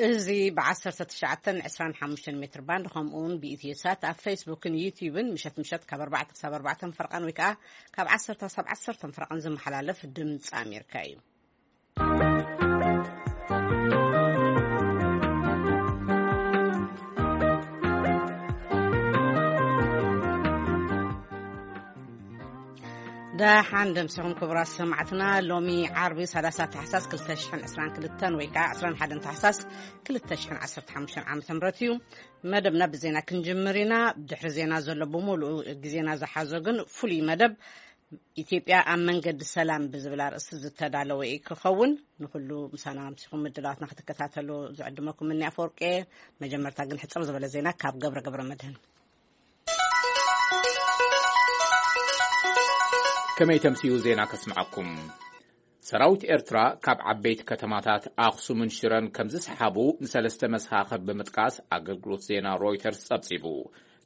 እዚ ብ19 ን25 ሜትር ባንድ፣ ከምኡ እውን ብኢትዮ ሳት ኣብ ፌስቡክን ዩቲዩብን ምሸት ምሸት ካብ ኣርባዕተ ክሳብ ኣርባዕተ ፈርቓን ወይ ከዓ ካብ ዓሰርተ ክሳብ ዓሰርተ ፈርቓን ዝመሓላለፍ ድምፂ ኣሜሪካ እዩ። ደሓን ደምሲኹም ክቡራት ሰማዕትና። ሎሚ ዓርቢ ሰላሳ ታሕሳስ ክልተ ሽሕን ዕስራን ክልተን ወይ ከዓ ዕስራን ሓደን ታሕሳስ ክልተ ሽሕን ዓሰርተ ሓሙሽተን ዓመተ ምህረት እዩ። መደብና ብዜና ክንጅምር ኢና። ድሕሪ ዜና ዘሎ ብምሉእ ግዜና ዝሓዞ ግን ፍሉይ መደብ ኢትዮጵያ ኣብ መንገዲ ሰላም ብዝብል ኣርእስቲ ዝተዳለወ እዩ ክኸውን። ንኩሉ ምሳና ኣምሲኹም ምድላዋትና ክትከታተሉ ዝዕድመኩም እኒ ኣፈወርቂ። መጀመርታ ግን ሕጽር ዝበለ ዜና ካብ ገብረ ገብረ መድህን። ከመይ ተምስዩ ዜና ከስምዓኩም። ሰራዊት ኤርትራ ካብ ዓበይቲ ከተማታት ኣኽሱምን ሽረን ከም ዝሰሓቡ ንሰለስተ መሰኻኽር ብምጥቃስ ኣገልግሎት ዜና ሮይተርስ ጸብጺቡ።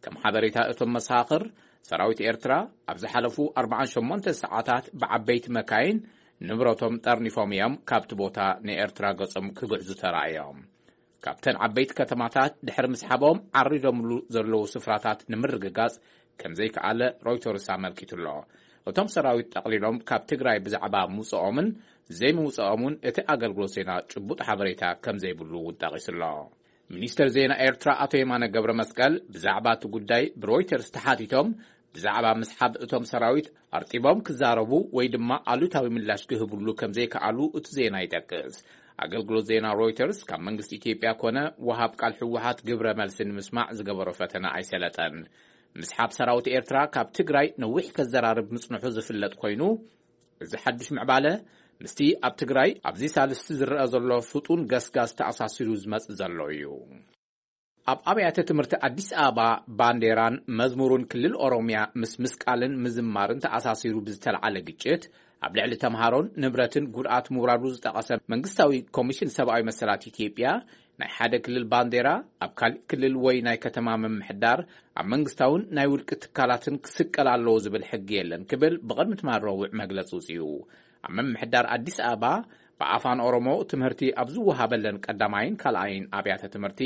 ከም ሓበሬታ እቶም መሰኻኽር፣ ሰራዊት ኤርትራ ኣብ ዝሓለፉ ኣርባዓን ሸሞንተ ሰዓታት ብዓበይቲ መካይን ንብረቶም ጠርኒፎም እዮም ካብቲ ቦታ ንኤርትራ ገጾም ክግዕዙ ተራእዮም። ካብተን ዓበይቲ ከተማታት ድሕሪ ምስሓቦም ዓሪዶምሉ ዘለዉ ስፍራታት ንምርግጋጽ ከም ዘይከኣለ ሮይተርስ ኣመልኪቱ ኣሎ። እቶም ሰራዊት ጠቕሊሎም ካብ ትግራይ ብዛዕባ ምውጽኦምን ዘይምውጽኦምን እቲ ኣገልግሎት ዜና ጭቡጥ ሓበሬታ ከም ዘይብሉ እውን ጠቒሱ ኣሎ። ሚኒስተር ዜና ኤርትራ ኣቶ የማነ ገብረ መስቀል ብዛዕባ እቲ ጉዳይ ብሮይተርስ ተሓቲቶም፣ ብዛዕባ ምስሓብ እቶም ሰራዊት ኣርጢቦም ክዛረቡ ወይ ድማ ኣሉታዊ ምላሽ ክህብሉ ከም ዘይከኣሉ እቲ ዜና ይጠቅስ። ኣገልግሎት ዜና ሮይተርስ ካብ መንግስቲ ኢትዮጵያ ኮነ ወሃብ ቃል ህወሓት ግብረ መልሲ ንምስማዕ ዝገበሮ ፈተነ ኣይሰለጠን። ምስሓብ ሰራዊት ኤርትራ ካብ ትግራይ ነዊሕ ከዘራርብ ምጽንሑ ዝፍለጥ ኮይኑ፣ እዚ ሓድሽ ምዕባለ ምስቲ ኣብ ትግራይ ኣብዚ ሳልስቲ ዝረአ ዘሎ ፍጡን ገስጋስ ተኣሳሲሩ ዝመጽእ ዘሎ እዩ። ኣብ ኣብያተ ትምህርቲ ኣዲስ ኣበባ ባንዴራን መዝሙሩን ክልል ኦሮሚያ ምስ ምስቃልን ምዝማርን ተኣሳሲሩ ብዝተልዓለ ግጭት ኣብ ልዕሊ ተምሃሮን ንብረትን ጉድኣት ምውራዱ ዝጠቐሰ መንግስታዊ ኮሚሽን ሰብኣዊ መሰላት ኢትዮጵያ፣ ናይ ሓደ ክልል ባንዴራ ኣብ ካልእ ክልል ወይ ናይ ከተማ ምምሕዳር ኣብ መንግስታውን ናይ ውልቂ ትካላትን ክስቀል ኣለዎ ዝብል ሕጊ የለን ክብል ብቕድሚ ትማል ረቡዕ መግለጺ ውጽኡ። ኣብ ምምሕዳር ኣዲስ ኣበባ ብኣፋን ኦሮሞ ትምህርቲ ኣብ ዝወሃበለን ቀዳማይን ካልኣይን ኣብያተ ትምህርቲ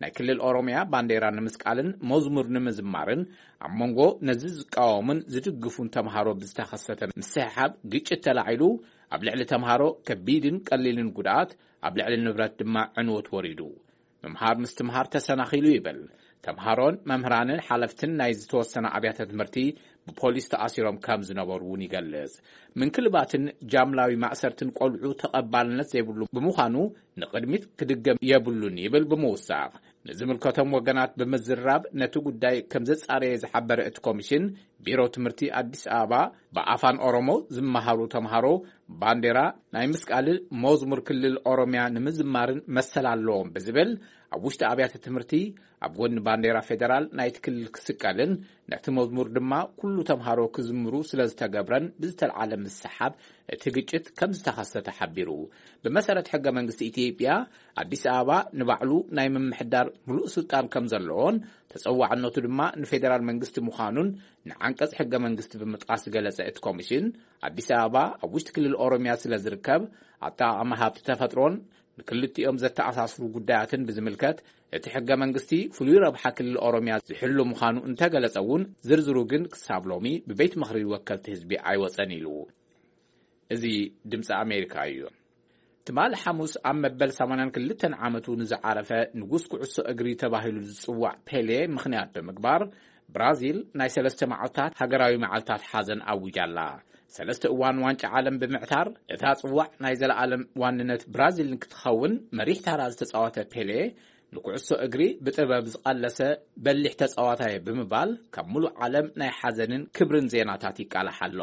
ናይ ክልል ኦሮሚያ ባንዴራ ንምስቃልን መዝሙር ንምዝማርን ኣብ መንጎ ነዚ ዝቃወሙን ዝድግፉን ተምሃሮ ብዝተኸሰተ ምስሕሓብ ግጭት ተላዒሉ ኣብ ልዕሊ ተምሃሮ ከቢድን ቀሊልን ጉድኣት፣ ኣብ ልዕሊ ንብረት ድማ ዕንወት ወሪዱ። ምምሃር ምስትምሃር ተሰናኺሉ ይብል። ተምሃሮን መምህራንን ሓለፍትን ናይ ዝተወሰነ ኣብያተ ትምህርቲ ብፖሊስ ተኣሲሮም ከም ዝነበሩ እውን ይገልጽ። ምንክልባትን ጃምላዊ ማእሰርትን ቆልዑ ተቐባልነት ዘይብሉ ብምዃኑ ንቕድሚት ክድገም የብሉን ይብል ብምውሳኽ። ንዝምልከቶም ወገናት ብምዝራብ ነቲ ጉዳይ ከም ዘጻረየ ዝሓበረ እቲ ኮሚሽን፣ ቢሮ ትምህርቲ ኣዲስ ኣበባ ብኣፋን ኦሮሞ ዝመሃሩ ተምሃሮ ባንዴራ ናይ ምስቃልን መዝሙር ክልል ኦሮሚያ ንምዝማርን መሰል ኣለዎም ብዝብል ኣብ ውሽጢ ኣብያተ ትምህርቲ ኣብ ጎኒ ባንዴራ ፌደራል ናይቲ ክልል ክስቀልን ነቲ መዝሙር ድማ ኩሉ ተምሃሮ ክዝምሩ ስለ ዝተገብረን ብዝተልዓለ ምስሓብ እቲ ግጭት ከም ዝተኸሰተ ሓቢሩ። ብመሰረት ሕገ መንግስቲ ኢትዮጵያ ኣዲስ ኣበባ ንባዕሉ ናይ ምምሕዳር ምሉእ ስልጣን ከም ዘለዎን ተጸዋዕነቱ ድማ ንፌደራል መንግስቲ ምዃኑን ንዓንቀጽ ሕገ መንግስቲ ብምጥቃስ ዝገለጸ እቲ ኮሚሽን፣ ኣዲስ ኣበባ ኣብ ውሽጢ ክልል ኦሮሚያ ስለ ዝርከብ ኣጠቓቕማ ሃብቲ ተፈጥሮን ንክልቲኦም ዘተኣሳስሩ ጉዳያትን ብዝምልከት እቲ ሕገ መንግስቲ ፍሉይ ረብሓ ክልል ኦሮሚያ ዝሕሉ ምዃኑ እንተገለጸ እውን ዝርዝሩ ግን ክሳብ ሎሚ ብቤት ምኽሪ ወከልቲ ህዝቢ ኣይወጸን ኢሉ። እዚ ድምፂ ኣሜሪካ እዩ። ትማሊ ሓሙስ ኣብ መበል ሰማንያን ክልተን ዓመቱ ንዝዓረፈ ንጉስ ኩዕሶ እግሪ ተባሂሉ ዝፅዋዕ ፔሌ ምኽንያት ብምግባር ብራዚል ናይ ሰለስተ መዓልታት ሃገራዊ መዓልታት ሓዘን ኣዊጃ ኣላ። ሰለስተ እዋን ዋንጫ ዓለም ብምዕታር እታ ፅዋዕ ናይ ዘለኣለም ዋንነት ብራዚል ንክትኸውን መሪሕ ታራ ዝተፃወተ ፔሌ ንኩዕሶ እግሪ ብጥበብ ዝቐለሰ በሊሕ ተጻዋታይ ብምባል ካብ ሙሉእ ዓለም ናይ ሓዘንን ክብርን ዜናታት ይቃላሕ ኣሎ።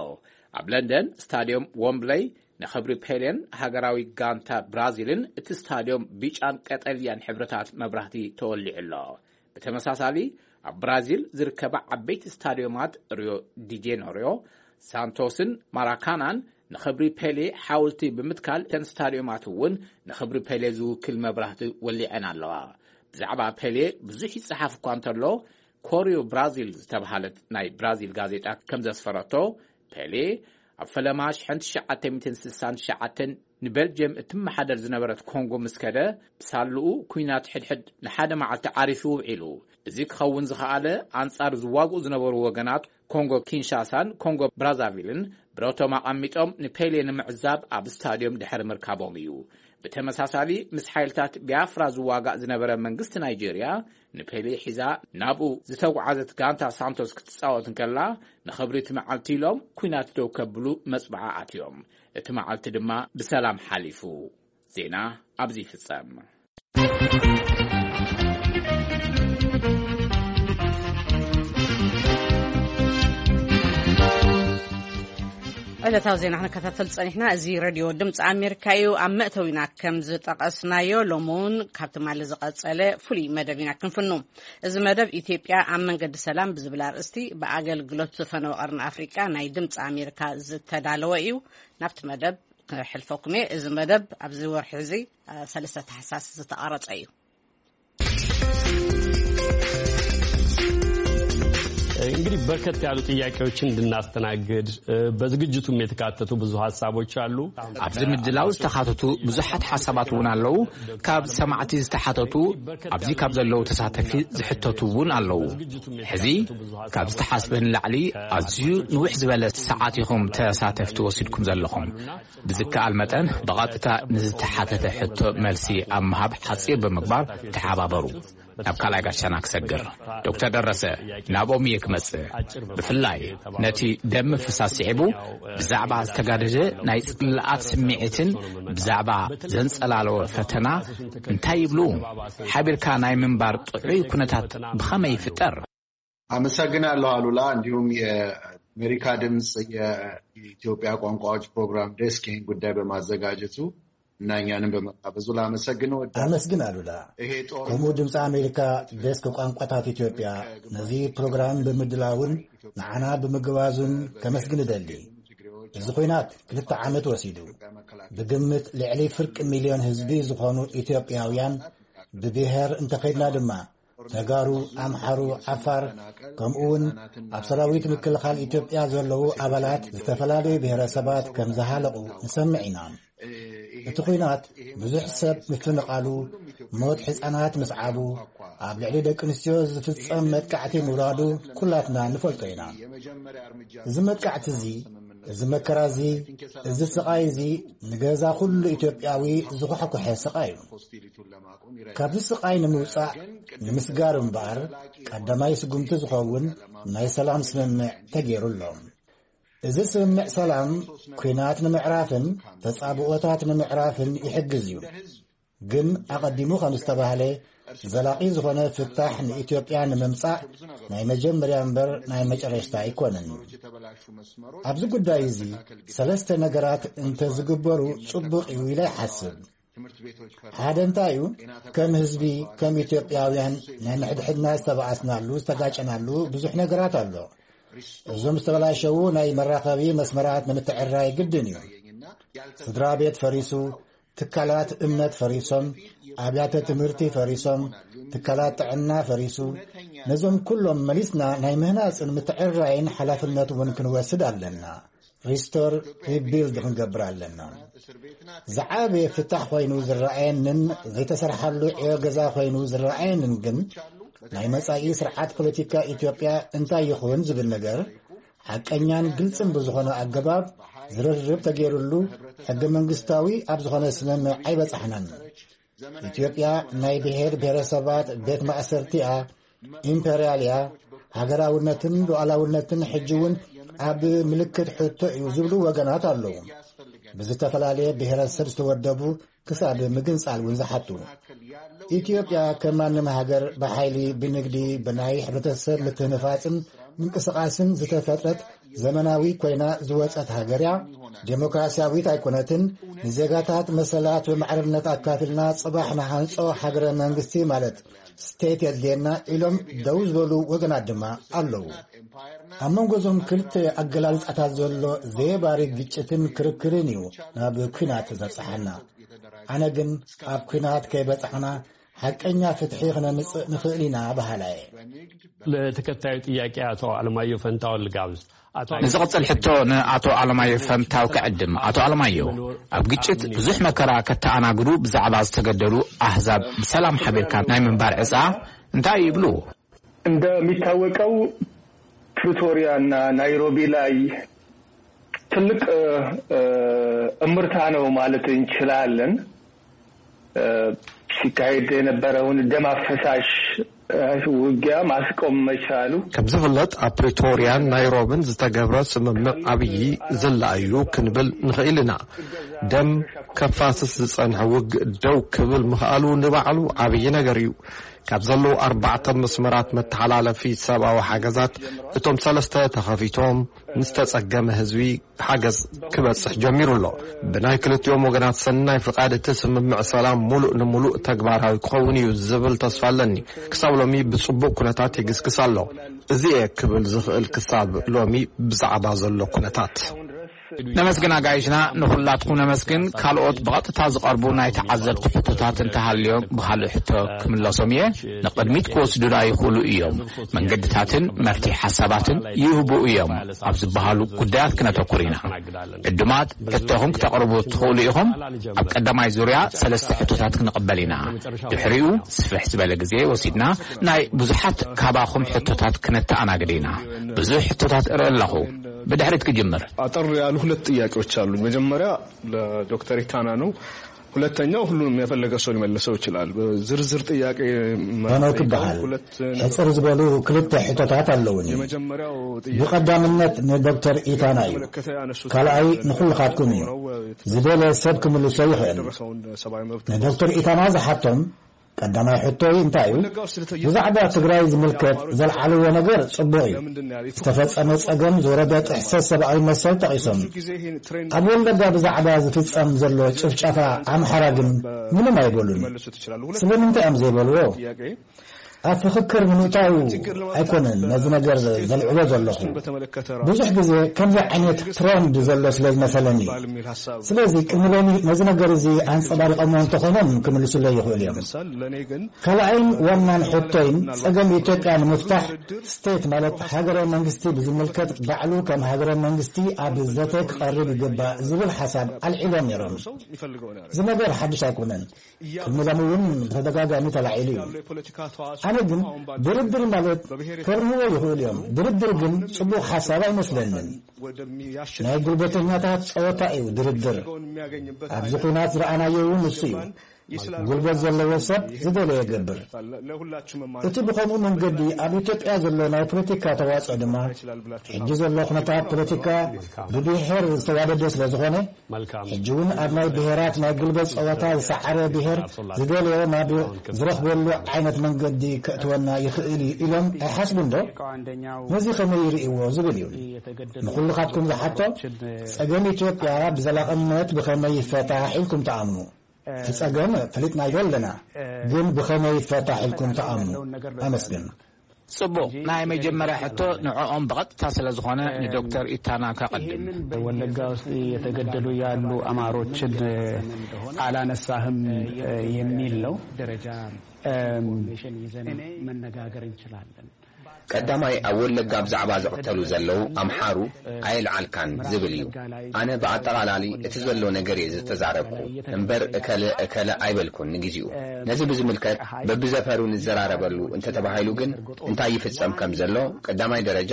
ኣብ ለንደን ስታድዮም ወምብለይ ንኽብሪ ፔሌን ሃገራዊ ጋንታ ብራዚልን እቲ ስታድዮም ብጫን ቀጠልያን ሕብርታት መብራህቲ ተወሊዑ ኣሎ። ብተመሳሳሊ ኣብ ብራዚል ዝርከባ ዓበይቲ ስታድዮማት ሪዮ ዲ ጄነሪዮ፣ ሳንቶስን ማራካናን ንኽብሪ ፔሌ ሓወልቲ ብምትካል እተን ስታድዮማት እውን ንኽብሪ ፔሌ ዝውክል መብራህቲ ወሊዐን ኣለዋ። ብዛዕባ ፔሌ ብዙሕ ይጸሓፍ እኳ እንተሎ፣ ኮሪዮ ብራዚል ዝተባህለት ናይ ብራዚል ጋዜጣ ከም ዘስፈረቶ፣ ፔሌ ኣብ ፈለማ ሽሕን ትሽዓተ ሚእትን ስሳን ትሽዓተን ንቤልጅየም እትመሓደር ዝነበረት ኮንጎ ምስ ከደ፣ ብሳልኡ ኲናት ሕድሕድ ንሓደ መዓልቲ ዓሪፉ ውዒሉ። እዚ ክኸውን ዝኸኣለ፣ ኣንጻር ዝዋግኡ ዝነበሩ ወገናት ኮንጎ ኪንሻሳን ኮንጎ ብራዛቪልን ብረቶም ኣቐሚጦም ንፔሌ ንምዕዛብ ኣብ ስታድዮም ድሕሪ ምርካቦም እዩ። ብተመሳሳሊ፣ ምስ ሓይልታት ቢያፍራ ዝዋጋእ ዝነበረ መንግስቲ ናይጄርያ፣ ንፔሌ ሒዛ ናብኡ ዝተጓዓዘት ጋንታ ሳንቶስ ክትጻወት እንከላ፣ ንኽብሪ እቲ መዓልቲ ኢሎም ኲናት ደው ከብሉ መጽብዓ ኣትዮም። እቲ መዓልቲ ድማ ብሰላም ሓሊፉ። ዜና ኣብዚ ይፍጸም። ዕለታዊ ዜና ክንከታተል ጸኒሕና። እዚ ሬድዮ ድምፂ ኣሜሪካ እዩ። ኣብ መእተዊና ከም ዝጠቐስናዮ፣ ሎሚ እውን ካብ ትማሊ ዝቐጸለ ፍሉይ መደብ ኢና ክንፍኑ። እዚ መደብ፣ ኢትዮጵያ ኣብ መንገዲ ሰላም ብዝብል ኣርእስቲ፣ ብኣገልግሎት ዝፈነወ ቀርኒ ኣፍሪቃ ናይ ድምፂ ኣሜሪካ ዝተዳለወ እዩ። ናብቲ መደብ ክሕልፈኩም እየ። እዚ መደብ ኣብዚ ወርሒ እዚ፣ አ፣ ሰለስተ ታሕሳስ ዝተቐረጸ እዩ። እንግዲህ በርከት ያሉ ጥያቄዎችን እንድናስተናግድ፣ እ፣ በዝግጅቱም የተካተቱ ብዙ ሀሳቦች አሉ። ኣብዚ ምድላው ዝተኻተቱ ብዙሓት ሓሳባት እውን ኣለዉ። ካብ ሰማዕቲ ዝተሓተቱ፣ ኣብዚ ካብ ዘለዉ ተሳተፊ ዝሕተቱ እውን ኣለዉ። ሕዚ ካብ ዝተሓስበ ንላዕሊ ኣዝዩ ንውሕ ዝበለ ሰዓት ኢኹም ተሳተፍቲ ወሲድኩም ዘለኹም። ብዝከኣል መጠን ብቐጥታ ንዝተሓተተ ሕቶ መልሲ ኣብ ምሃብ ሓጺር ብምግባር ተሓባበሩ። ናብ ካልኣይ ጋሻና ክሰግር፣ ዶክተር ደረሰ፣ ናብኦም እየ ክመጽእ። ብፍላይ ነቲ ደም ምፍሳስ ስዒቡ ብዛዕባ ዝተጋደደ ናይ ጽልኣት ስምዒትን ብዛዕባ ዘንጸላለወ ፈተና እንታይ ይብሉ? ሓቢርካ ናይ ምንባር ጥዑይ ኩነታት ብኸመይ ይፍጠር? አመሰግናለሁ አሉላ። እንዲሁም የአሜሪካ ድምፅ የኢትዮጵያ ቋንቋዎች ፕሮግራም ዴስክ ይህን ጉዳይ በማዘጋጀቱ እና እኛንም በመጋበዙ ላመሰግን እወዳለሁ። ኣመስግን ኣሉላ። ይሄ ጦር ከምኡ ድምፂ ኣሜሪካ ዴስክ ቋንቋታት ኢትዮጵያ ነዚ ፕሮግራም ብምድላውን ንዓና ብምግባዙን ከመስግን እደሊ። እዚ ኹናት ክልተ ዓመት ወሲዱ፣ ብግምት ልዕሊ ፍርቂ ሚልዮን ህዝቢ ዝኾኑ ኢትዮጵያውያን፣ ብብሔር እንተኸድና ድማ ተጋሩ፣ ኣምሓሩ፣ ዓፋር፣ ከምኡ እውን ኣብ ሰራዊት ምክልኻል ኢትዮጵያ ዘለዉ ኣባላት ዝተፈላለዩ ብሔረሰባት ከም ዝሃለቑ ንሰምዕ ኢና። እቲ ኹናት ብዙሕ ሰብ ምፍንቓሉ፣ ሞት ህፃናት ምስዓቡ፣ ኣብ ልዕሊ ደቂ ኣንስትዮ ዝፍጸም መጥቃዕቲ ምውራዱ ኩላትና ንፈልጦ ኢና። እዚ መጥቃዕቲ እዚ፣ እዚ መከራ እዚ፣ እዚ ስቓይ እዚ ንገዛ ኩሉ ኢትዮጵያዊ ዝኳሕኩሐ ስቓይ እዩ። ካብዚ ስቓይ ንምውጻእ፣ ንምስጋር እምበኣር፣ ቀዳማይ ስጉምቲ ዝኸውን ናይ ሰላም ስምምዕ ተገይሩ ኣሎ። እዚ ስምምዕ ሰላም፣ ኲናት ንምዕራፍን ተጻብኦታት ንምዕራፍን ይሕግዝ እዩ። ግን ኣቐዲሙ ከም ዝተባህለ፣ ዘላቒ ዝኾነ ፍታሕ ንኢትዮጵያ ንምምጻእ ናይ መጀመርያ እምበር ናይ መጨረሽታ ኣይኮነን። ኣብዚ ጉዳይ እዚ ሰለስተ ነገራት እንተዝግበሩ ጽቡቕ እዩ ኢለ ይሓስብ። ሓደ እንታይ እዩ? ከም ህዝቢ፣ ከም ኢትዮጵያውያን ናይ ንሕድሕድና ዝተባኣስናሉ፣ ዝተጋጨናሉ ብዙሕ ነገራት ኣሎ። እዞም ዝተበላሸዉ ናይ መራኸቢ መስመራት ንምትዕራይ ግድን እዩ። ስድራ ቤት ፈሪሱ፣ ትካላት እምነት ፈሪሶም፣ ኣብያተ ትምህርቲ ፈሪሶም፣ ትካላት ጥዕና ፈሪሱ። ነዞም ኩሎም መሊስና ናይ ምህናጽን ምትዕራይን ሓላፍነት እውን ክንወስድ ኣለና። ሪስቶር ሪቢልድ ክንገብር ኣለና። ዝዓበየ ፍታሕ ኮይኑ ዝረኣየንን ዘይተሰርሓሉ ዕዮ ገዛ ኮይኑ ዝረኣየንን ግን ናይ መጻኢ ስርዓት ፖለቲካ ኢትዮጵያ እንታይ ይኹን ዝብል ነገር ሓቀኛን ግልጽን ብዝኾነ ኣገባብ ዝርርብ ተገይሩሉ ሕገ መንግስታዊ ኣብ ዝኾነ ስምምዕ ኣይበጻሕናን። ኢትዮጵያ ናይ ብሔር ብሔረሰባት ቤት ማእሰርቲ እያ፣ ኢምፔርያል እያ። ሃገራውነትን ሉዓላውነትን ሕጂ እውን ኣብ ምልክት ሕቶ እዩ ዝብሉ ወገናት ኣለዉ። ብዝተፈላለየ ብሔረሰብ ዝተወደቡ ክሳብ ምግንጻል እውን ዝሓቱ። ኢትዮጵያ ከም ማንም ሃገር ብሓይሊ፣ ብንግዲ፣ ብናይ ሕብረተሰብ ምትህንፋጽን ምንቅስቓስን ዝተፈጥረት ዘመናዊ ኮይና ዝወጸት ሃገር እያ። ዴሞክራሲያዊት ኣይኮነትን። ንዜጋታት መሰላት ብማዕርነት ኣካፊልና ጽባሕ ንሃንጾ ሃገረ መንግስቲ ማለት ስቴት የድልየና ኢሎም ደው ዝበሉ ወገናት ድማ ኣለዉ። ኣብ መንጎ እዞም ክልተ ኣገላልጻታት ዘሎ ዘየባሪ ግጭትን ክርክርን እዩ ናብ ኲናት ዘብጽሓና። ኣነ ግን ኣብ ኲናት ከይበጻሕና ሓቀኛ ፍትሒ ክነምጽእ ንኽእል ኢና በሃላ እየ። ለተከታዩ ጥያቄ አቶ አለማየሁ ፈንታው ልጋብዝ። አቶ ንዝቕጽል ሕቶ ንኣቶ ኣለማዮ ፈንታው ክዕድም። ኣቶ ኣለማዮ፣ ኣብ ግጭት ብዙሕ መከራ ከተኣናግዱ ብዛዕባ ዝተገደሉ ኣህዛብ ብሰላም ሓቢርካ ናይ ምንባር ዕጻ እንታይ ይብሉ? እንደሚታወቀው ፕሪቶሪያ እና ናይሮቢ ላይ ትልቅ እምርታ ነው ማለት እንችላለን። ሲካሄድ የነበረውን ደም አፈሳሽ ውጊያ ማስቆም መቻሉ። ከም ዝፍለጥ ኣብ ፕሪቶርያን ናይሮብን ዝተገብረ ስምምዕ ዓብዪ ዝላእዩ ክንብል ንኽእል ኢና። ደም ከፋስስ ዝጸንሐ ውግእ ደው ክብል ምኽኣሉ ንባዕሉ ዓብዪ ነገር እዩ። ካብ ዘለዉ ኣርባዕተ መስመራት መተሓላለፊ ሰብኣዊ ሓገዛት እቶም ሰለስተ ተኸፊቶም ንዝተጸገመ ህዝቢ ሓገዝ ክበጽሕ ጀሚሩ ኣሎ። ብናይ ክልቲኦም ወገናት ሰናይ ፍቓድ እቲ ስምምዕ ሰላም ሙሉእ ንሙሉእ ተግባራዊ ክኸውን እዩ ዝብል ተስፋ ኣለኒ። ክሳብ ሎሚ ብጽቡቕ ኩነታት ይግስግስ ኣሎ። እዚ እየ ክብል ዝኽእል ክሳብ ሎሚ ብዛዕባ ዘሎ ኩነታት። ነመስግን ኣጋይሽና፣ ንኹላትኩም ነመስግን። ካልኦት ብቐጥታ ዝቐርቡ ናይ ተዓዘብቲ ሕቶታት እንተሃልዮም ብኻልእ ሕቶ ክምለሶም እየ። ንቕድሚት ክወስዱና ይኽእሉ እዮም። መንገድታትን መፍትሒ ሓሳባትን ይህቡ እዮም ኣብ ዝበሃሉ ጉዳያት ክነተኩር ኢና። ዕዱማት ሕቶኹም ክተቕርቡ ትኽእሉ ኢኹም። ኣብ ቀዳማይ ዙርያ ሰለስተ ሕቶታት ክንቕበል ኢና። ድሕሪኡ ስፍሕ ዝበለ ግዜ ወሲድና ናይ ብዙሓት ካባኹም ሕቶታት ክነተኣናግድ ኢና። ብዙሕ ሕቶታት እርኢ ኣለኹ። ብድሕሪት ክጅምር። አጠር ያሉ ሁለት ጥያቄዎች አሉኝ። መጀመሪያ ለዶክተር ኢታና ነው። ሁለተኛው ሁሉንም የፈለገ ሰው ሊመልሰው ይችላል። ዝርዝር ጥያቄ ሄኖክ ይበሃል። ሕጽር ዝበሉ ክልተ ሕቶታት ኣለውኒ። ብቐዳምነት ንዶክተር ኢታና እዩ። ካልኣይ ንኹልኻትኩም እዩ። ዝደለ ሰብ ክምልሶ ይኽእል። ንዶክተር ኢታና ዝሓቶም ቀዳማይ ሕቶይ እንታይ እዩ? ብዛዕባ ትግራይ ዝምልከት ዘልዓልዎ ነገር ጽቡቕ እዩ። ዝተፈጸመ ጸገም፣ ዝወረደ ጥሕሰት ሰብኣዊ መሰል ጠቒሶም። ኣብ ወለጋ ብዛዕባ ዝፍጸም ዘሎ ጭፍጨፋ ኣምሓራ ግን ምንም ኣይበሉን። ስለምንታይ እዮም ዘይበልዎ? ኣብ ፍኽክር ንምእታው ኣይኮነን ነዚ ነገር ዘልዕሎ ዘለኹ። ብዙሕ ግዜ ከምዚ ዓይነት ትረንድ ዘሎ ስለ ዝመሰለኒ። ስለዚ ቅድሚ ሎሚ ነዚ ነገር እዚ ኣንጸባሪቐሞ እንተኾይኖም ክምልሱለይ ይኽእሉ እዮም። ካልኣይን ዋናን ሕቶይን ጸገም ኢትዮጵያ ንምፍታሕ ስቴት ማለት ሃገረ መንግስቲ ብዝምልከት ባዕሉ ከም ሃገረ መንግስቲ ኣብ ዘተ ክቐርብ ይግባእ ዝብል ሓሳብ ኣልዒሎም ነይሮም። እዚ ነገር ሓድሽ ኣይኮነን። ቅድሚ ሎሚ እውን ብተደጋጋሚ ተላዒሉ እዩ። ኣነ ግን ድርድር ማለት ከርህዎ ይኽእሉ እዮም። ድርድር ግን ጽቡቕ ሓሳብ ኣይመስለንን። ናይ ጉልበተኛታት ጸወታ እዩ ድርድር። ኣብዚ ኲናት ዝረኣናዮ እውን እሱ እዩ። ጉልበት ዘለዎ ሰብ ዝደለዮ ይገብር። እቲ ብኸምኡ መንገዲ ኣብ ኢትዮጵያ ዘሎ ናይ ፖለቲካ ተዋጽኦ ድማ ሕጂ ዘሎ ኩነታት ፖለቲካ ብብሔር ዝተዋደደ ስለ ዝኾነ ሕጂ እውን ኣብ ናይ ብሔራት ናይ ጉልበት ጸወታ ዝሰዓረ ብሔር ዝደለዮ ናብ ዝረኽበሉ ዓይነት መንገዲ ከእትወና ይኽእል እዩ ኢሎም ኣይሓስቡን ዶ? ነዚ ከመይ ይርእይዎ ዝብል እዩ። ንኹልኻትኩም ዝሓቶ፣ ጸገም ኢትዮጵያ ብዘላቕነት ብኸመይ ይፈታሕ ኢልኩም ትኣምኑ? እቲ ጸገም ፈሊጥናዮ ኣለና፣ ግን ብኸመይ ይፈታሕ ኢልኩም ትኣምኑ? ኣመስግን። ጽቡቕ፣ ናይ መጀመርያ ሕቶ ንዕኦም ብቐጥታ ስለ ዝኾነ ንዶክተር ኢታና ከቐድም። ወለጋ ውስጥ እየተገደሉ ያሉ አማሮችን አላነሳህም የሚል ነው። ደረጃ ኢንፎርሜሽን ይዘን መነጋገር እንችላለን። ቀዳማይ ኣብ ወለጋ ብዛዕባ ዝቕተሉ ዘለዉ ኣምሓሩ ኣየልዓልካን ዝብል እዩ። ኣነ ብኣጠቓላሊ እቲ ዘሎ ነገር እየ ዝተዛረብኩ እምበር እከለ እከለ ኣይበልኩን። ንግዜኡ ነዚ ብዝምልከት በብዘፈሩ ንዘራረበሉ እንተተባሂሉ ግን እንታይ ይፍጸም ከም ዘሎ ቀዳማይ ደረጃ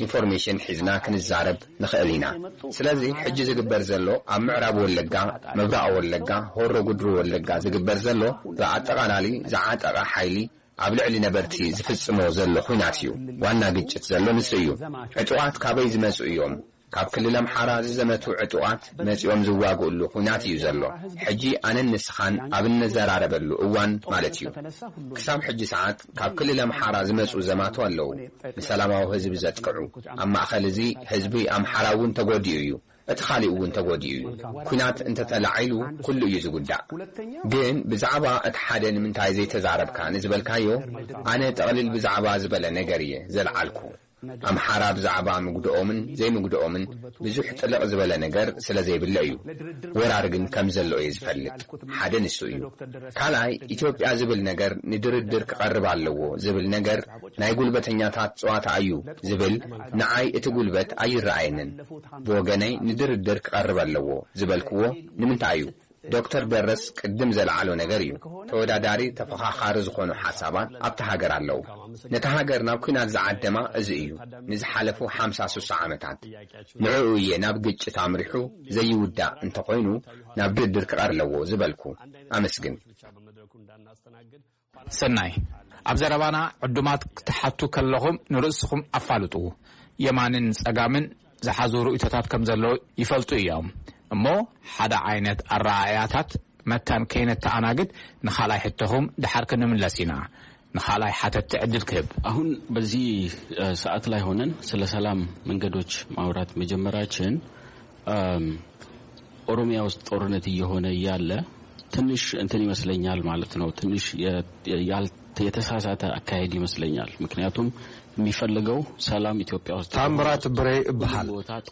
ኢንፎርሜሽን ሒዝና ክንዛረብ ንኽእል ኢና። ስለዚ ሕጂ ዝግበር ዘሎ ኣብ ምዕራብ ወለጋ፣ ምብራቕ ወለጋ፣ ሆሮ ጉድሩ ወለጋ ዝግበር ዘሎ ብኣጠቓላሊ ዝዓጠቐ ሓይሊ ኣብ ልዕሊ ነበርቲ ዝፍጽሞ ዘሎ ኹናት እዩ። ዋና ግጭት ዘሎ ንሱ እዩ። ዕጡቓት ካበይ ዝመጹ እዮም? ካብ ክልል ኣምሓራ ዝዘመቱ ዕጡቓት መጺኦም ዝዋግእሉ ኹናት እዩ ዘሎ። ሕጂ ኣነን ንስኻን ኣብ እንዘራረበሉ እዋን ማለት እዩ። ክሳብ ሕጂ ሰዓት ካብ ክልል ኣምሓራ ዝመጹ ዘማቱ ኣለዉ። ንሰላማዊ ህዝቢ ዘጥቅዑ። ኣብ ማእኸል እዚ ህዝቢ ኣምሓራ እውን ተጎዲኡ እዩ። እቲ ካሊእ እውን ተጎዲኡ እዩ። ኲናት እንተተላዒሉ ኩሉ እዩ ዝጉዳእ። ግን ብዛዕባ እቲ ሓደ ንምንታይ ዘይተዛረብካ ንዝበልካዮ፣ ኣነ ጠቕልል ብዛዕባ ዝበለ ነገር እየ ዘልዓልኩ። ኣምሓራ ብዛዕባ ምግድኦምን ዘይምግድኦምን ብዙሕ ጥልቕ ዝበለ ነገር ስለ ዘይብለ እዩ። ወራር ግን ከም ዘሎ እየ ዝፈልጥ። ሓደ ንሱ እዩ። ካልኣይ፣ ኢትዮጵያ ዝብል ነገር ንድርድር ክቐርብ ኣለዎ ዝብል ነገር ናይ ጉልበተኛታት ጸዋታ እዩ ዝብል፣ ንዓይ እቲ ጉልበት ኣይረኣየንን። ብወገነይ ንድርድር ክቐርብ ኣለዎ ዝበልክዎ ንምንታይ እዩ? ዶክተር ደረስ ቅድም ዘልዓሎ ነገር እዩ። ተወዳዳሪ፣ ተፈኻኻሪ ዝኾኑ ሓሳባት ኣብታ ሃገር ኣለዉ። ነታ ሃገር ናብ ኲናት ዝዓደማ እዚ እዩ። ንዝሓለፉ ሓምሳ ስሳ ዓመታት ንዕኡ እየ ናብ ግጭት ኣምሪሑ ዘይውዳእ እንተኾይኑ ናብ ድርድር ክቐር ኣለዎ ዝበልኩ። ኣመስግን። ሰናይ፣ ኣብ ዘረባና ዕዱማት ክትሓቱ ከለኹም ንርእስኹም ኣፋልጡ። የማንን ጸጋምን ዝሓዙ ርእይቶታት ከም ዘለዉ ይፈልጡ እዮም። እሞ ሓደ ዓይነት ኣረኣእያታት መታን ከይነተኣናግድ ንኻልኣይ ሕቶኹም ደሓር ክንምለስ ኢና። ንኻልኣይ ሓተትቲ ዕድል ክህብ። አሁን በዚህ ሰዓት ላይ ሆነን ስለ ሰላም መንገዶች ማውራት መጀመራችን ኦሮሚያ ውስጥ ጦርነት እየሆነ እያለ ትንሽ እንትን ይመስለኛል ማለት ነው። ትንሽ የተሳሳተ አካሄድ ይመስለኛል። ምክንያቱም የሚፈልገው ሰላም ኢትዮጵያ ውስጥ ታምራት ብሬ እበሃል።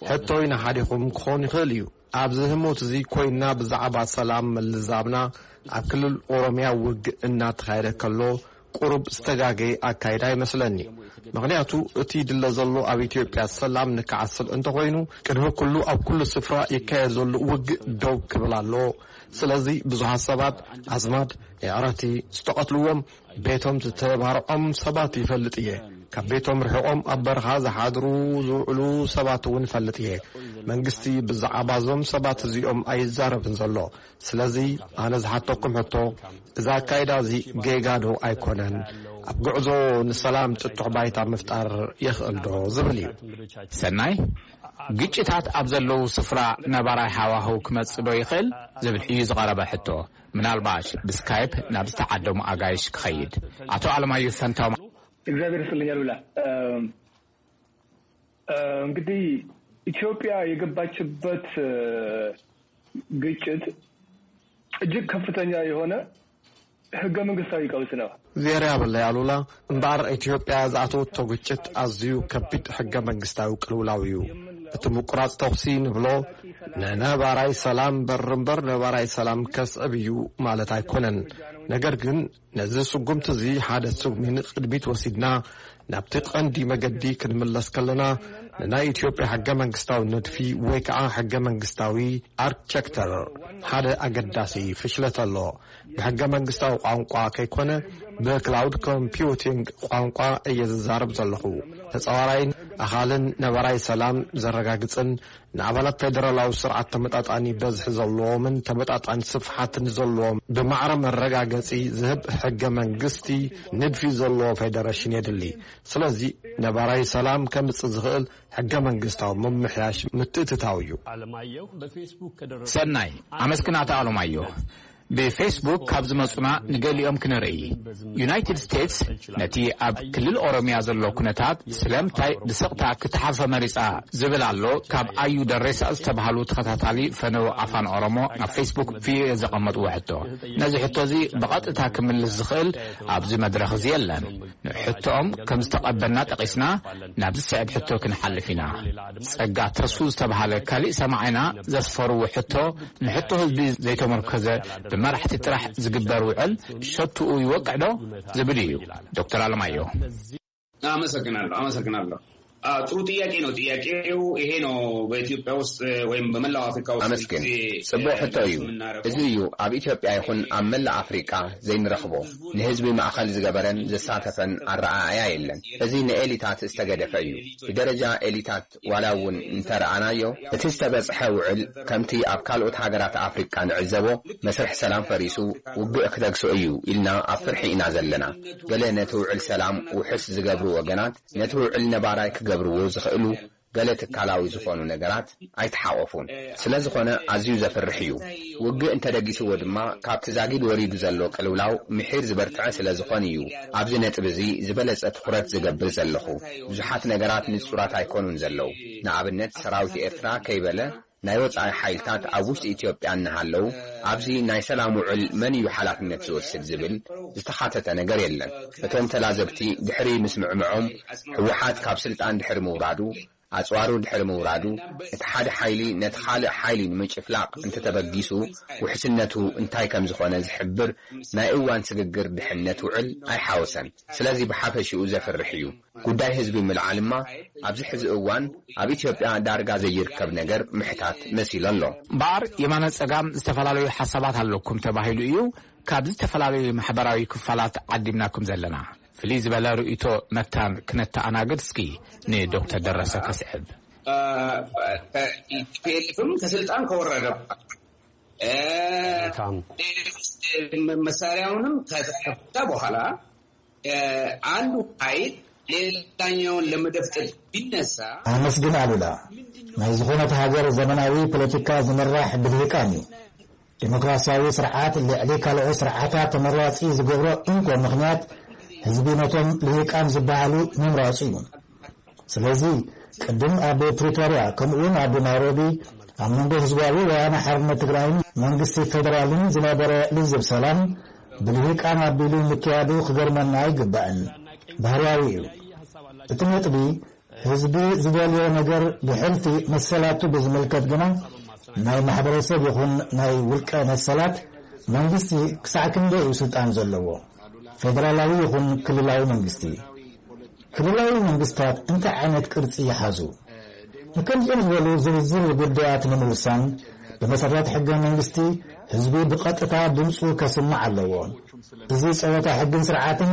ሕቶይ ንሓዲኹም ክኾን ይኽእል እዩ። ኣብዚ ህሞት እዚ ኮይና ብዛዕባ ሰላም ምልዛብና ኣብ ክልል ኦሮሚያ ውግእ እናተኻየደ ከሎ ቁሩብ ዝተጋገየ ኣካይዳ ይመስለኒ። ምኽንያቱ እቲ ድለ ዘሎ ኣብ ኢትዮጵያ ሰላም ንከዓስል እንተኾይኑ ቅድሚ ኩሉ ኣብ ኩሉ ስፍራ ይካየድ ዘሎ ውግእ ደው ክብል ኣለዎ። ስለዚ ብዙሓት ሰባት ኣዝማድ፣ የዕረቲ፣ ዝተቐትልዎም ቤቶም ዝተባርዖም ሰባት ይፈልጥ እየ። ካብ ቤቶም ርሒቖም ኣብ በረኻ ዝሓድሩ ዝውዕሉ ሰባት እውን እፈልጥ እየ። መንግስቲ ብዛዕባ እዞም ሰባት እዚኦም ኣይዛረብን ዘሎ። ስለዚ ኣነ ዝሓተኩም ሕቶ እዚ ኣካይዳ እዚ ጌጋ ዶ ኣይኮነን? ኣብ ጉዕዞ ንሰላም ጥጡሕ ባይታ ምፍጣር የኽእል ዶ ዝብል እዩ። ሰናይ፣ ግጭታት ኣብ ዘለዉ ስፍራ ነባራይ ሃዋህው ክመጽእ ዶ ይኽእል ዝብል እዩ ዝቐረበ ሕቶ። ምናልባሽ ብስካይፕ ናብ ዝተዓደሙ ኣጋይሽ ክኸይድ። ኣቶ ኣለማየሁ ፈንታው። እግዚአብሔር ይስጥልኝ አሉላ። እንግዲህ ኢትዮጵያ የገባችበት ግጭት እጅግ ከፍተኛ የሆነ ህገ መንግስታዊ ቀውስ ነው። ዜር ያበለ ያሉላ እምበኣር ኢትዮጵያ ዝኣተወቶ ግጭት ኣዝዩ ከቢድ ሕገ መንግስታዊ ቅልውላው እዩ። እቲ ምቁራፅ ተኹሲ ንብሎ ንነባራይ ሰላም በር እምበር ነባራይ ሰላም ከስዕብ እዩ ማለት ኣይኮነን። ነገር ግን ነዚ ስጉምቲ እዚ ሓደ ስጉሚ ንቕድሚት ወሲድና ናብቲ ቀንዲ መገዲ ክንምለስ ከለና ንናይ ኢትዮጵያ ሕገ መንግስታዊ ንድፊ ወይ ከዓ ሕገ መንግስታዊ ኣርክቸክተር ሓደ ኣገዳሲ ፍሽለት ኣሎ። ብሕገ መንግስታዊ ቋንቋ ከይኮነ ብክላውድ ኮምፒውቲንግ ቋንቋ እየ ዝዛረብ ዘለኹ። ተፃዋራይን ኣኻልን ነባራይ ሰላም ዘረጋግፅን ንኣባላት ፌደራላዊ ስርዓት ተመጣጣኒ በዝሒ ዘለዎምን ተመጣጣኒ ስፍሓት ንዘለዎም ብማዕረ መረጋገፂ ዝህብ ሕገ መንግስቲ ንድፊ ዘለዎ ፌደረሽን የድሊ። ስለዚ ነባራይ ሰላም ከምፅእ ዝኽእል ሕገ መንግስታዊ ምምሕያሽ ምትእትታው እዩ። ሰናይ ኣመስግናታ ኣለማዮ። ብፌስቡክ ካብ ዝመጹና ንገሊኦም ክንርኢ። ዩናይትድ ስቴትስ ነቲ ኣብ ክልል ኦሮሚያ ዘሎ ኩነታት ስለምንታይ ብስቕታ ክትሓልፎ መሪጻ ዝብል ኣሎ። ካብ ኣዩ ደሬሳ ዝተባህሉ ተኸታታሊ ፈነው ኣፋን ኦሮሞ ኣብ ፌስቡክ ቪኦኤ ዘቐመጥዎ ሕቶ። ነዚ ሕቶ እዚ ብቐጥታ ክምልስ ዝኽእል ኣብዚ መድረኽ እዚ የለን። ንሕቶኦም ከም ዝተቐበልና ጠቒስና ናብ ዝስዕብ ሕቶ ክንሓልፍ ኢና። ጸጋ ተስፉ ዝተባህለ ካሊእ ሰማዒና ዘስፈርዎ ሕቶ ንሕቶ ህዝቢ ዘይተመርኮዘ ብመራሕቲ ጥራሕ ዝግበር ውዕል ሸትኡ ይወቅዕ ዶ ዝብል እዩ። ዶክተር ኣለማየሁ። አመሰግናለሁ አመሰግናለሁ። ጥሩ ጥያቄ ነው። ጥያቄው ይሄ ነው። በኢትዮጵያ ውስጥ ወይም በመላው አፍሪካ ውስጥ አመስግን ጽቡቅ ሕቶ እዩ። እዚ እዩ ኣብ ኢትዮጵያ ይኹን ኣብ መላእ ኣፍሪቃ ዘይንረኽቦ፣ ንህዝቢ ማእኸል ዝገበረን ዘሳተፈን ኣረኣእያ የለን። እዚ ንኤሊታት ዝተገደፈ እዩ። ብደረጃ ኤሊታት ዋላ እውን እንተረኣናዮ፣ እቲ ዝተበጽሐ ውዕል ከምቲ ኣብ ካልኦት ሃገራት ኣፍሪቃ ንዕዘቦ መስርሕ ሰላም ፈሪሱ ውግእ ክተግሶ እዩ ኢልና ኣብ ፍርሒ ኢና ዘለና። ገለ ነቲ ውዕል ሰላም ውሑስ ዝገብሩ ወገናት ነቲ ውዕል ነባራይ ክገብርዎ ዝኽእሉ ገለ ትካላዊ ዝኾኑ ነገራት ኣይተሓቆፉን። ስለ ዝኾነ ኣዝዩ ዘፍርሕ እዩ። ውግእ እንተደጊስዎ ድማ ካብቲ ዛጊድ ወሪዱ ዘሎ ቅልውላው ምሒር ዝበርትዐ ስለ ዝኾን እዩ ኣብዚ ነጥቢ እዚ ዝበለጸ ትኹረት ዝገብር ዘለኹ። ብዙሓት ነገራት ንጹራት ኣይኮኑን ዘለዉ። ንኣብነት ሰራዊት ኤርትራ ከይበለ ናይ ወጻኢ ሓይልታት ኣብ ውሽጢ ኢትዮጵያ እናሃለዉ፣ ኣብዚ ናይ ሰላም ውዕል መን እዩ ሓላፍነት ዝወስድ ዝብል ዝተኻተተ ነገር የለን። እቶም ተላዘብቲ ድሕሪ ምስምዕምዖም፣ ህወሓት ካብ ስልጣን ድሕሪ ምውራዱ፣ ኣጽዋሩ ድሕሪ ምውራዱ፣ እቲ ሓደ ሓይሊ ነቲ ካልእ ሓይሊ ንምጭፍላቕ እንተተበጊሱ፣ ውሕስነቱ እንታይ ከም ዝኾነ ዝሕብር ናይ እዋን ስግግር ድሕነት ውዕል ኣይሓወሰን። ስለዚ ብሓፈሽኡ ዘፍርሕ እዩ። ጉዳይ ህዝቢ ምልዓልማ ኣብዚ ሕዚ እዋን ኣብ ኢትዮጵያ ዳርጋ ዘይርከብ ነገር ምሕታት መሲሉ ኣሎ። እምበኣር የማነ ጸጋም ዝተፈላለዩ ሓሳባት ኣለኩም ተባሂሉ እዩ ካብ ዝተፈላለዩ ማሕበራዊ ክፋላት ዓዲምናኩም ዘለና። ፍልይ ዝበለ ርእይቶ መታን ክነተኣናግድ እስኪ ንዶክተር ደረሰ ከስዕብ። ፒኤልኤፍም ከስልጣን ከወረደ በኋላ፣ እ፣ ታም። መሳሪያውንም ከተፈታ በኋላ፣ እ፣ አንዱ ኃይል ሌላኛውን ለመደፍጠጥ ቢነሳ፣ ኣመስግን ኣሉላ። ናይ ዝኾነት ሃገር ዘመናዊ ፖለቲካ ዝምራሕ ብልሂቃን እዩ። ዲሞክራሲያዊ ስርዓት ልዕሊ ካልኦት ስርዓታት ተመራጺ ዝገብሮ እንኮ ምኽንያት፣ ህዝቢ ነቶም ልሂቃን ዝበሃሉ ምምራጹ እዩ። ስለዚ፣ ቅድም ኣብ ፕሪቶርያ ከምኡውን ኣብ ናይሮቢ ኣብ መንጎ ህዝባዊ ወያነ ሓርነት ትግራይን መንግስቲ ፌደራልን ዝነበረ ልዝብ ሰላም ብልሂቃን ኣቢሉ ምክያዱ ክገርመና ኣይግባእን። ባህርያዊ እዩ። እቲ ነጥቢ፣ ህዝቢ ዝደልዮ ነገር ብሕልፊ መሰላቱ ብዝምልከት ግና፣ ናይ ማሕበረሰብ ይኹን ናይ ውልቀ መሰላት፣ መንግስቲ ክሳዕ ክንደይ እዩ ስልጣን ዘለዎ? ፌደራላዊ ይኹን ክልላዊ መንግስቲ? ክልላዊ መንግስታት እንታይ ዓይነት ቅርጺ ይሓዙ? ንከምዚኦም ዝበሉ ዝርዝር ጉዳያት ንምውሳን፣ ብመሰረት ሕገ መንግስቲ፣ ህዝቢ ብቐጥታ ድምፁ ከስምዕ ኣለዎ። እዚ ጸወታ ሕግን ስርዓትን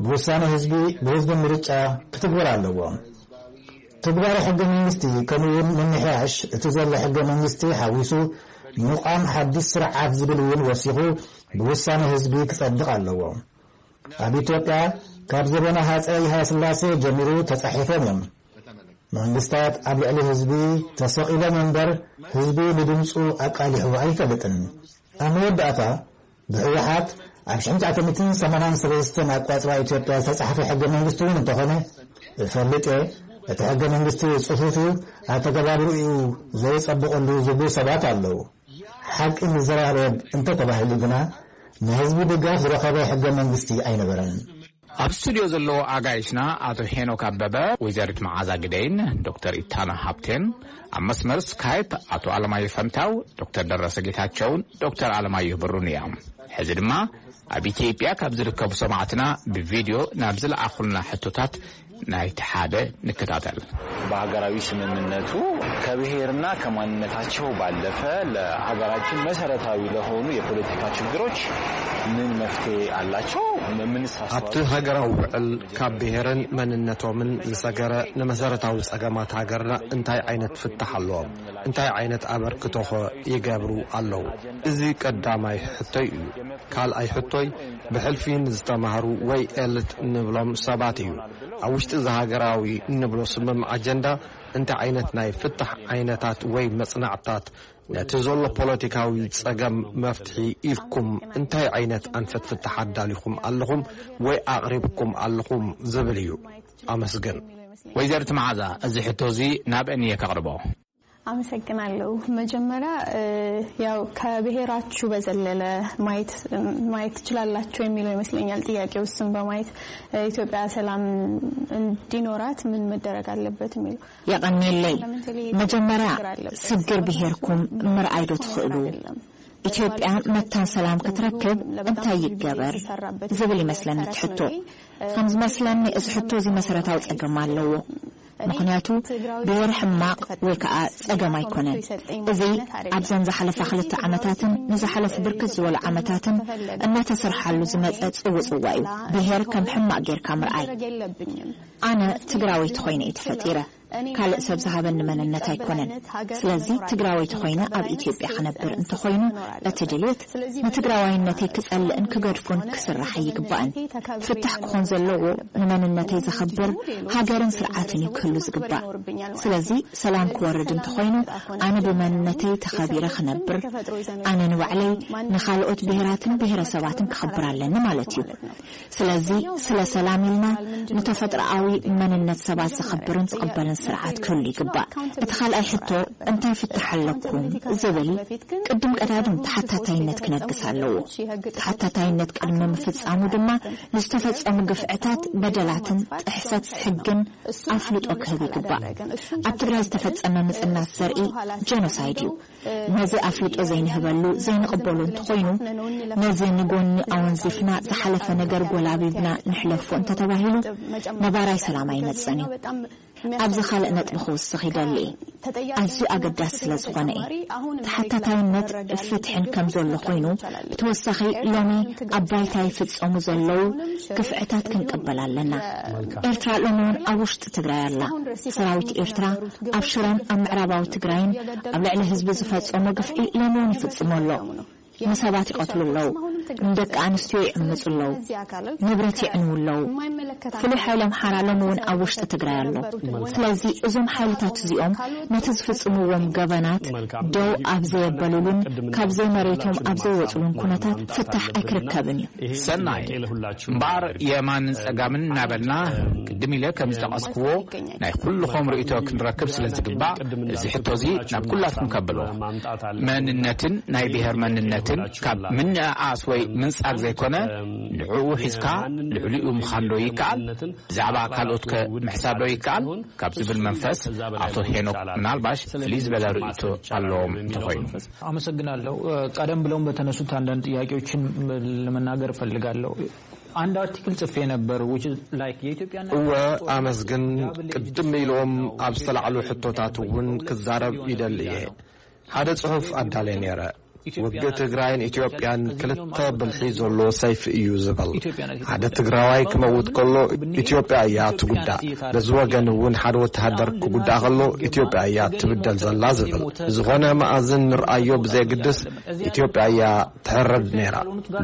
ብውሳነ ህዝቢ፣ ብህዝቢ ምርጫ ክትግበር ኣለዎ። ትግባረ ሕገ መንግስቲ፣ ከምኡ እውን ምምሕያሽ እቲ ዘሎ ሕገ መንግስቲ ሓዊሱ፣ ምቋም ሓድሽ ስርዓት ዝብል እውን ወሲኹ ብውሳነ ህዝቢ ክጸድቕ ኣለዎ። ኣብ ኢትዮጵያ ካብ ዘበነ ሃጸይ ሃይለስላሴ ጀሚሩ ተጻሒፎም እዮም። መንግስታት ኣብ ልዕሊ ህዝቢ ተሰቒሎም እምበር፣ ህዝቢ ንድምፁ ኣቃሊሑ ኣይፈልጥን። ኣብ መወዳእታ፣ ብህወሓት ኣብ ሽሕን ትሽዓተ ሚእትን ሰማንያን ሰለስተን ኣቋጽራ ኢትዮጵያ ዝተጻሕፈ ሕገ መንግስቲ እውን እንተኾነ፣ እፈልጥ እየ፣ እቲ ሕገ መንግስቲ ጽፉፍ እዩ፣ ኣተገባብርኡ ዘይጸብቐሉ ዝብሉ ሰባት ኣለዉ። ሓቂ ንዘራረብ እንተተባሂሉ ግና፣ ናይ ህዝቢ ድጋፍ ዝረኸበ ሕገ መንግስቲ ኣይነበረን። ኣብ ስቱድዮ ዘለዉ ኣጋይሽና ኣቶ ሄኖክ ኣበበ፣ ወይዘሪት መዓዛ ግደይን ዶክተር ኢታና ሃብቴን፣ ኣብ መስመር ስካይፕ ኣቶ ኣለማየሁ ፈንታው፣ ዶክተር ደረሰ ጌታቸውን ዶክተር ኣለማየሁ ብሩን እዮም። ሕዚ ድማ ኣብ ኢትዮጵያ ካብ ዝርከቡ ሰማዕትና ብቪድዮ ናብ ዝለኣኹልና ሕቶታት ናይቲ ሓደ ንከታተል። በሀገራዊ ስምምነቱ ከብሔርና ከማንነታቸው ባለፈ ለሀገራችን መሰረታዊ ለሆኑ የፖለቲካ ችግሮች ምን መፍትሄ አላቸው? ምንስ አስተዋጽኦ? ኣብቲ ሃገራዊ ውዕል ካብ ብሔርን መንነቶምን ዝሰገረ ንመሰረታዊ ጸገማት ሃገርና እንታይ ዓይነት ፍታሕ ኣለዎም? እንታይ ዓይነት ኣበርክቶኸ ይገብሩ ኣለዉ? እዚ ቀዳማይ ሕቶይ እዩ። ካልኣይ ሕቶይ ብሕልፊ ንዝተማህሩ ወይ ኤልት እንብሎም ሰባት እዩ። ኣብ ውሽጢ እዚ ሃገራዊ እንብሎ ስምምዕ ኣጀንዳ እንታይ ዓይነት ናይ ፍታሕ ዓይነታት ወይ መጽናዕትታት ነቲ ዘሎ ፖለቲካዊ ጸገም መፍትሒ ኢልኩም እንታይ ዓይነት ኣንፈት ፍታሕ ኣዳሊኹም ኣለኹም ወይ ኣቕሪብኩም ኣለኹም ዝብል እዩ። ኣመስግን። ወይዘሪት መዓዛ፣ እዚ ሕቶ እዚ ናበን እየ ከቕርቦ? ኣመሰግናለሁ። መጀመርያ፣ እ፣ ያው ከብሔራችሁ በዘለለ ማየት፣ ማየት ትችላላችሁ የሚለው ይመስለኛል ጥያቄው። እሱን በማየት፣ እ፣ ኢትዮጵያ ሰላም እንዲኖራት ምን መደረግ አለበት የሚለው። የቐንየለይ። መጀመርያ፣ ስግር ብሄርኩም ምርኣይ ዶ ትኽእሉ? ኢትዮጵያ መታን ሰላም ክትረክብ እንታይ ይገበር? ዝብል ይመስለኒ እቲ ሕቶ። ከም ዝመስለኒ፣ እዚ ሕቶ እዚ መሰረታዊ ጸገም ኣለዎ። ምኽንያቱ፣ ብሄር ሕማቕ ወይ ከዓ ጸገም ኣይኮነን። እዚ ኣብዘን ዝሓለፋ ክልተ ዓመታትን ንዝሓለፉ ብርክት ዝበሉ ዓመታትን እናተሰርሓሉ ዝመጸ ጽውጽዋ እዩ። ብሄር ከም ሕማቕ ጌርካ ምርኣይ። ኣነ ትግራወይቲ ኮይነ እየ ተፈጢረ። ካልእ ሰብ ዝሃበኒ መንነት ኣይኮነን። ስለዚ ትግራወይቲ ኮይነ ኣብ ኢትዮጵያ ክነብር እንተኾይኑ፣ እቲ ድሌት ንትግራዋይነተይ ክጸልእን ክገድፎን ክስራሕ ኣይግባእን። ፍታሕ ክኾን ዘለዎ ንመንነተይ ዘኸብር ሃገርን ስርዓትን እዩ ክህሉ ዝግባእ። ስለዚ ሰላም ክወርድ እንተኾይኑ፣ ኣነ ብመንነተይ ተኸቢረ ክነብር፣ ኣነ ንባዕለይ ንኻልኦት ብሄራትን ብሄረሰባትን ክኸብር ኣለኒ ማለት እዩ። ስለዚ ስለ ሰላም ኢልና ንተፈጥሮኣዊ መንነት ሰባት ዘኸብርን ዝቕበልን ስርዓት ክህሉ ይግባእ። እቲ ካልኣይ ሕቶ፣ እንታይ ፍታሕ ኣለኩም ዝብል፣ ቅድም ቀዳድም ተሓታታይነት ክነግስ ኣለዎ። ተሓታታይነት ቅድሚ ምፍጻሙ ድማ ንዝተፈጸሙ ግፍዕታት፣ በደላትን ጥሕሰት ሕግን ኣፍልጦ ክህብ ይግባእ። ኣብ ትግራይ ዝተፈጸመ ምጽናት ዘርኢ ጀኖሳይድ እዩ። ነዚ ኣፍልጦ ዘይንህበሉ፣ ዘይንቕበሎ እንተኾይኑ፣ ነዚ ንጎኒ ኣወንዚፍና ዝሓለፈ ነገር ጎላቢብና ንሕለፎ እንተተባሂሉ፣ ነባራይ ሰላም ኣይመጽእን እዩ። ኣብዚ ካልእ ነጥቢ ክውስኽ ይደሊ እየ። ኣዝዩ ኣገዳሲ ስለ ዝኾነ እየ። ተሓታታይነት ፍትሕን ከም ዘሎ ኮይኑ፣ ብተወሳኺ ሎሚ ኣብ ባይታ ይፍጸሙ ዘለዉ ግፍዕታት ክንቅበል ኣለና። ኤርትራ ሎሚ እውን ኣብ ውሽጢ ትግራይ ኣላ። ሰራዊት ኤርትራ ኣብ ሽረን ኣብ ምዕራባዊ ትግራይን ኣብ ልዕሊ ህዝቢ ዝፈጸሞ ግፍዒ ሎሚ እውን ይፍጽሞ ኣሎ። ንሰባት ይቐትሉ ኣለዉ። ንደቂ ኣንስትዮ ይዕምጹ ኣለዉ። ንብረት የዕንዉ ኣለዉ። ፍሉይ ሓይሊ ኣምሓራ ሎሚ እውን ኣብ ውሽጢ ትግራይ ኣሎ። ስለዚ እዞም ሓይልታት እዚኦም ነቲ ዝፍጽምዎም ገበናት ደው ኣብ ዘየበሉሉን ካብ ዘይመሬቶም ኣብ ዘይወጽሉን ኩነታት ፍታሕ ኣይክርከብን እዩ። ሰናይ። እምበኣር የማንን ጸጋምን እናበልና፣ ቅድም ኢለ ከም ዝጠቐስክዎ፣ ናይ ኩልኹም ርእይቶ ክንረክብ ስለ ዝግባእ፣ እዚ ሕቶ እዚ ናብ ኩላትኩም ከብሎ። መንነትን ናይ ብሔር መንነትን ካብ ምንእኣስ ወይ ምንጻግ ዘይኮነ፣ ንዕኡ ሒዝካ ልዕሊኡ ምዃን ዶ ይከኣል? ብዛዕባ ካልኦት ከ ምሕሳብ ዶ ይከኣል? ካብ ዝብል መንፈስ ኣቶ ሄኖክ ምናልባሽ ፍልይ ዝበለ ርእይቶ ኣለዎም እንተኾይኑ። አመሰግናለሁ። ቀደም ብለውም በተነሱት አንዳንድ ጥያቄዎችን ለመናገር እፈልጋለሁ። አንድ አርቲክል ጽፌ ነበር፣ which is like የኢትዮጵያና እወ፣ ኣመስግን። ቅድም ኢሎም ኣብ ዝተላዕሉ ሕቶታት እውን ክዛረብ ይደሊ እየ። ሓደ ጽሑፍ ኣዳልየ ነይረ። ውግእ ትግራይን ኢትዮጵያን ክልተ ብልሒ ዘሎ ሰይፊ እዩ ዝብል። ሓደ ትግራዋይ ክመውት ከሎ ኢትዮጵያ እያ ትጉዳእ። በዚ ወገን እውን ሓደ ወተሃደር ክጉዳእ ከሎ ኢትዮጵያ እያ ትብደል ዘላ ዝብል። ብዝኾነ መኣዝን ንርኣዮ ብዘየግድስ ኢትዮጵያ እያ ትሕረድ ነይራ።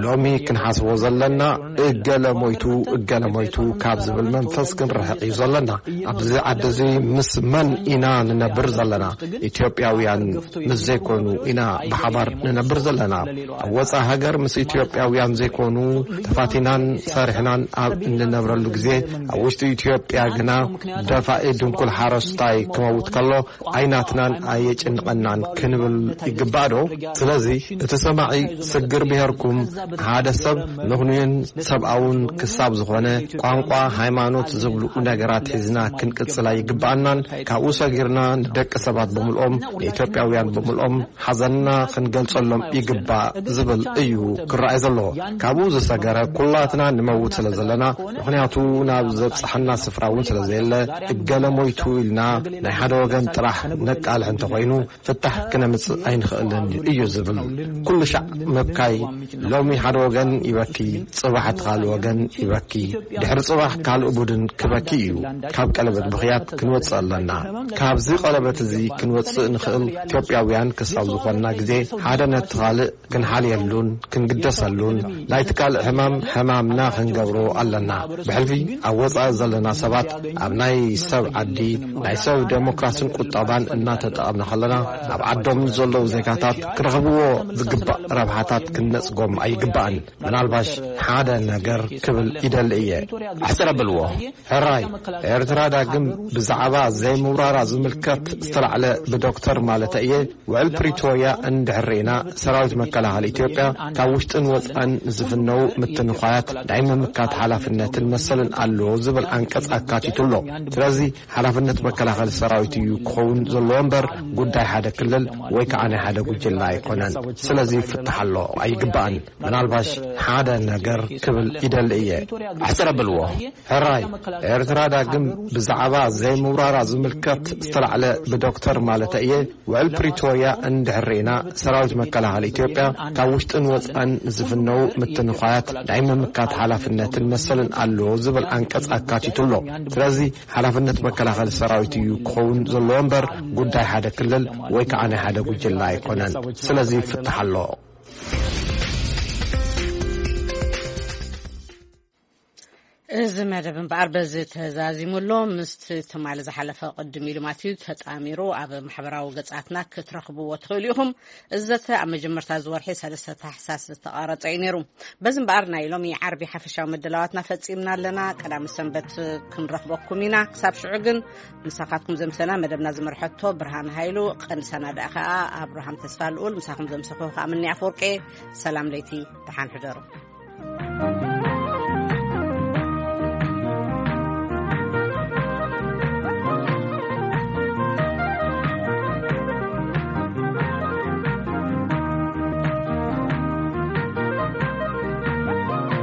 ሎሚ ክንሓስቦ ዘለና እገለ ሞይቱ እገለ ሞይቱ ካብ ዝብል መንፈስ ክንርሕቕ እዩ ዘለና። ኣብዚ ዓዲ እዚ ምስ መን ኢና ንነብር ዘለና? ኢትዮጵያውያን ምስ ዘይኮኑ ኢና ብሓባር ንነብር ዘለና። ኣብ ወፃኢ ሃገር ምስ ኢትዮጵያውያን ዘይኮኑ ተፋቲናን ሰሪሕናን ኣብ እንነብረሉ ግዜ ኣብ ውሽጢ ኢትዮጵያ ግና ደፋኢ ድንኩል ሓረስታይ ክመውት ከሎ ኣይናትናን ኣየጭንቐናን ክንብል ይግባእ ዶ? ስለዚ እቲ ሰማዒ ስግር ብሄርኩም ሓደ ሰብ ምኽኑይን ሰብኣውን ክሳብ ዝኾነ ቋንቋ፣ ሃይማኖት ዝብሉ ነገራት ሒዝና ክንቅጽል ኣይግባኣናን። ካብኡ ሰጊርና ንደቂ ሰባት ብምልኦም፣ ንኢትዮጵያውያን ብምልኦም ሓዘንና ክንገልጸሎም ይግባእ ዝብል እዩ ክረኣይ ዘለዎ። ካብኡ ዝሰገረ ኩላትና ንመውት ስለ ዘለና፣ ምኽንያቱ ናብ ዘብጽሓና ስፍራ እውን ስለ ዘየለ፣ እገለ ሞይቱ ኢልና ናይ ሓደ ወገን ጥራሕ ነቃልሕ እንተኾይኑ፣ ፍታሕ ክነምጽእ ኣይንኽእልን እዩ ዝብል ኩሉ ሻዕ ምብካይ፣ ሎሚ ሓደ ወገን ይበኪ፣ ጽባሕ እቲ ካልእ ወገን ይበኪ፣ ድሕሪ ጽባሕ ካልእ ቡድን ክበኪ እዩ። ካብ ቀለበት ብኽያት ክንወጽእ ኣለና። ካብዚ ቀለበት እዚ ክንወጽእ ንኽእል ኢትዮጵያውያን ክሳብ ዝኾንና ግዜ ሓደ ነቲ ካልእ ክንሓልየሉን ክንግደሰሉን፣ ናይቲ ካልእ ሕማም ሕማምና ክንገብሮ ኣለና። ብሕልፊ ኣብ ወጻኢ ዘለና ሰባት ኣብ ናይ ሰብ ዓዲ ናይ ሰብ ዴሞክራስን ቁጠባን እናተጠቐምና ከለና፣ ኣብ ዓዶም ንዘለዉ ዜጋታት ክረኽብዎ ዝግባእ ረብሓታት ክንነጽጎም ኣይግባእን። ምናልባሽ ሓደ ነገር ክብል ይደሊ እየ። ኣሕጽር ኣብልዎ። ሕራይ፣ ኤርትራ ዳግም ብዛዕባ ዘይምውራራ ዝምልከት ዝተላዕለ ብዶክተር ማለት እየ። ውዕል ፕሪቶርያ እንድሕር ርኢና፣ ሰራዊት መከላኸሊ ኢትዮጵያ ካብ ውሽጥን ወጻእን ዝፍነው ምትንዃያት ናይ ምምካት ሓላፍነትን መሰልን ኣለዎ ዝብል ዓንቀጽ ኣካቲቱ ኣሎ። ስለዚ ሓላፍነት መከላኸሊ ሰራዊት እዩ ክኸውን ዘለዎ እምበር፣ ጉዳይ ሓደ ክልል ወይ ከዓ ናይ ሓደ ጉጅለ ኣይኮነን። ስለዚ ይፍታሕ ኣሎ ኣይግባእን። ምናልባሽ ሓደ ነገር ክብል ይደሊ እየ። ኣሕጽር ኣብልዎ። ሕራይ፣ ኤርትራ ዳግም ብዛዕባ ዘይምውራራ ዝምልከት ዝተላዕለ ብዶክተር ማለት እየ። ውዕል ፕሪቶርያ እንድሕር ርኢና፣ ሰራዊት መከላኸሊ ኢትዮጵያ ካብ ውሽጥን ወጻእን ዝፍነው ምትንዃያት ናይ ምምካት ሓላፍነትን መሰልን ኣለዎ ዝብል ዓንቀጽ ኣካቲቱ ኣሎ። ስለዚ ሓላፍነት መከላኸሊ ሰራዊት እዩ ክኸውን ዘለዎ እምበር፣ ጉዳይ ሓደ ክልል ወይ ከዓ ናይ ሓደ ጉጅለ ኣይኮነን። ስለዚ ይፍታሕ ኣሎ። እዚ መደብ እምበኣር በዚ ተዛዚሙ ኣሎ። ምስቲ ትማሊ ዝሓለፈ ቅድም ኢሉ ማለት እዩ ተጣሚሩ ኣብ ማሕበራዊ ገጻትና ክትረኽብዎ ትኽእሉ ኢኹም። እዚ ዘተ ኣብ መጀመርታ ዝወርሒ ሰለስተ ታሕሳስ ዝተቐረጸ እዩ ነይሩ። በዚ እምበኣር ናይ ሎሚ ዓርቢ ሓፈሻዊ መደላዋትና ፈጺምና ኣለና። ቀዳም ሰንበት ክንረኽበኩም ኢና። ክሳብ ሽዑ ግን ምሳኻትኩም ዘምሰና መደብና ዝመርሐቶ ብርሃን ሃይሉ፣ ቀንዲ ሰናዳእ ከኣ ኣብርሃም ተስፋ ልኡል፣ ምሳኹም ዘምሰኹ ከኣ ምንያ ኣፈወርቄ። ሰላም ለይቲ፣ ደሓን ሕደሩ።